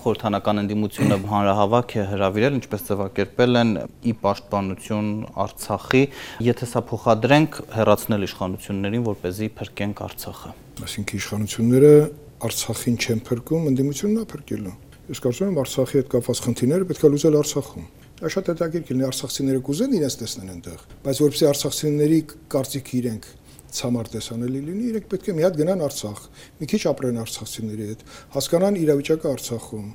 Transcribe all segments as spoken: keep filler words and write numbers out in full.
Խորհրդանական ընդդիմությունը հանրահավաք է հրավիրել, ինչպես ձևակերպել են ի պաշտպանություն Արցախի, եթե սա փոխադրենք հեռացնել իշխանություններին, որպեսզի փրկենք Արցախը։ Այսինքն իշխանությունները Արցախին չեն փրկում, ընդդիմությունն է փրկելու։ Ես կարծում եմ Արցախի հետ կապված խնդիրները պետք է լուծել Արցախում։ Դա շատ հետաքրքիր կլինի, արցախցիները կուզեն իրենց տեսնեն այնտեղ, բայց որպեսզի արցախցիների կարծիքը իրենք ցամար տեսանելի լինի, իրենք պետք է մի հատ գնան Արցախ, մի քիչ ապրեն արցախցիների հետ, հասկանան իրավիճակը Արցախում։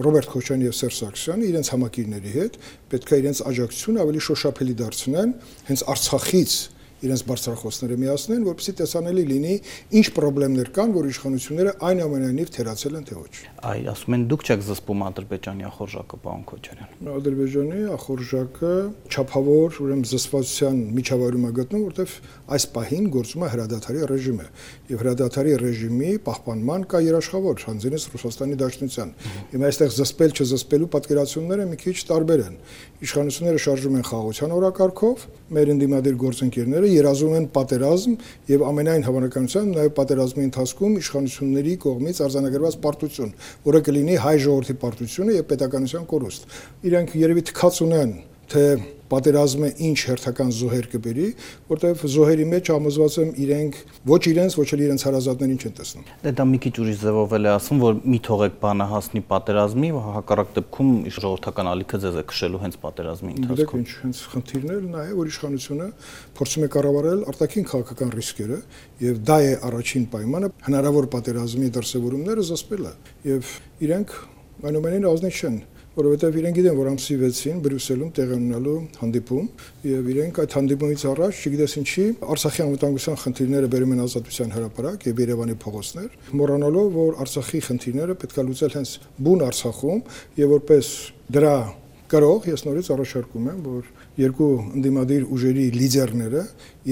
Ռոբերտ Քոչարյանը եւ Սերժ Սարգսյանը իրենց համակիրների հետ պետք է իրենց աջակցությունը ավելի շոշափելի դարձնեն, հենց Արցախից իրենց բարձրախոսները միացնեն, որպեսզի տեսանելի լինի ինչ խնդիրներ կան, որ իշխանությունները այնուամենայնիվ թերացել են թե ոչ։ Այ ասում են դուք չեք զսպում Ադրբեջանի ախորժակը, պարոն Քոչարյան։ Ադրբեջանի ախորժակը չափավոր, ուրեմն զսպվածության միջավայրում է գտնում, որտեղ այս պահին գործում է հրադադարի ռեժիմը, եւ հրադադարի ռեժիմի պահպանման կա երաշխավոր, հանձինս Ռուսաստանի Դաշնության։ Հիմա այստեղ զսպել չզսպելու պատկերացումները մի քիչ տարբեր են։ Իշխանությունները շարժում են խաղաղության օրակարգով, մեր ընդդիմադիր գործընկերները երազում են պատերազմ եւ ամենայն հավանականությամբ նաեւ պատերազմի ընթացքում իշխանությունների կողմից արձանագրված պարտություն, որը կլինի հայ ժողովրդի պարտությունը եւ պետականության կորուստ։ Իրենք երևի թքած ունեն, թե պատերազմը ինչ հերթական զոհեր կբերի, որտեղ զոհերի մեջ համոզված եմ իրենք ոչ իրենց, ոչ էլ իրենց հարազատներին չեն տեսնում։ Դե դա մի քիչ ուրիշ ձևով էլ է ասում, որ մի թողեք բանը հասնի պատերազմի, հակառակ դեպքում ժողովրդական ալիքը ձեզ է քշելու հենց պատերազմի ընթացքում։ Ինչ հենց խնդիրն նա է, որ իշխանությունը փորձում է կառավարել արտաքին քաղաքական ռիսկերը, եւ դա է առաջին պայմանը հնարավոր պատերազմի դրսևորումները զսպելը, եւ իրենք այնուամենայնիվ ազնիվ չեն, որովհետև իրենք գիտեն, որ ամսի վեցին Բրյուսելում տեղի ունենալու հանդիպում, եւ իրենք այդ հանդիպումից առաջ, չգիտես ինչի, Արցախի անվտանգության խնդիրները բերում են Ազատության հրապարակ եւ Երևանի փողոցներ, մոռանալով, որ Արցախի խնդիրները պետք է լուծել հենց բուն Արցախում, եւ որպես դրա գրող ես նորից առաջարկում եմ, որ երկու ընդդիմադիր ուժերի լիդերները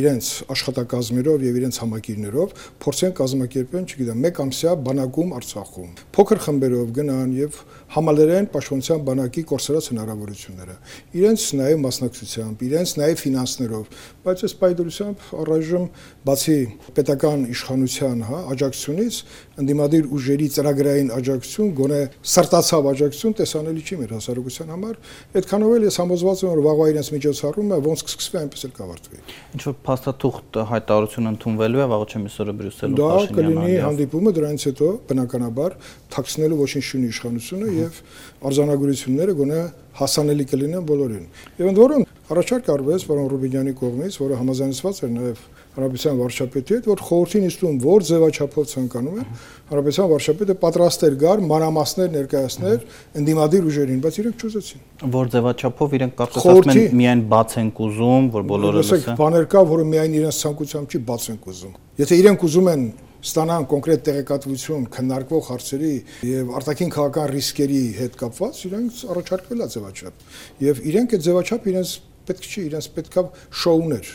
իրենց աշխատակազմերով եւ իրենց համակիրներով փորձեն կազմակերպեն, չգիտեմ, մեկ ամսյա բանակում Արցախում։ Փոքր խմբերով գնան եւ համալրեն պաշտպանության բանակի կորսրած հնարավորությունները։ Իրենց նաեւ մասնակցությամբ, իրենց նաեւ ֆինանսներով, բայց այս պայդրությամբ առայժմ բացի պետական իշխանության, հա, աջակցությունից ընդդիմադիր ուժերի ծրագրային աջակցություն, գոնե սրտացավ աջակցություն տեսանելի չի մեր հասարակության համար։ Այդքանով էլ ես համոզված եմ, որ վաղվա իրենց միջոցառումը ոնց կսկսվի, այնպես էլ կավարտվի։ Ինչ որ փաստաթուղթ հայտարարություն ընդունվելու է վաղ չէ միսօրը Բրյուսելում Փաշինյանը։ Դա կլինի հանդիպումը, դրանից հետո բնականաբար թաքցնելու ոչինչ չունի իշխանությունը եւ արձանագրությունները գոնե հասանելի կլինեն բոլորին։ Եվ ընդ որում առաջարկ արվեց պարոն Ռուբինյանի կողմից, որը համաձայնեցված էր նաեւ Հանրապետության վարչապետի հետ, որ խորհրդի նիստում որ ձևաչափով ցանկանում են, Հանրապետության վարչապետը պատրաստ էր գար մանրամասներ ներկայացնել ընդդիմադիր ուժերին, բայց իրենք չուզեցին։ Որ ձևաչափով իրենք կարծես ասում են միայն բաց են ուզում, որ բոլորը լսեն։ Բաներ կա, որը միայն իրենց ցանկությամբ չի բաց են ուզում։ Եթե իրենք ուզում են ստանան կոնկրետ տեղեկատվություն քննարկվող հարցերի եւ արտաքին քաղաքական ռիսկերի հետ կապված, իրենք առաջարկվել է ձևաչափ։ Եվ իրենք այդ ձևաչափ իրենց պետք չի, իրենց պետքա շոուներ։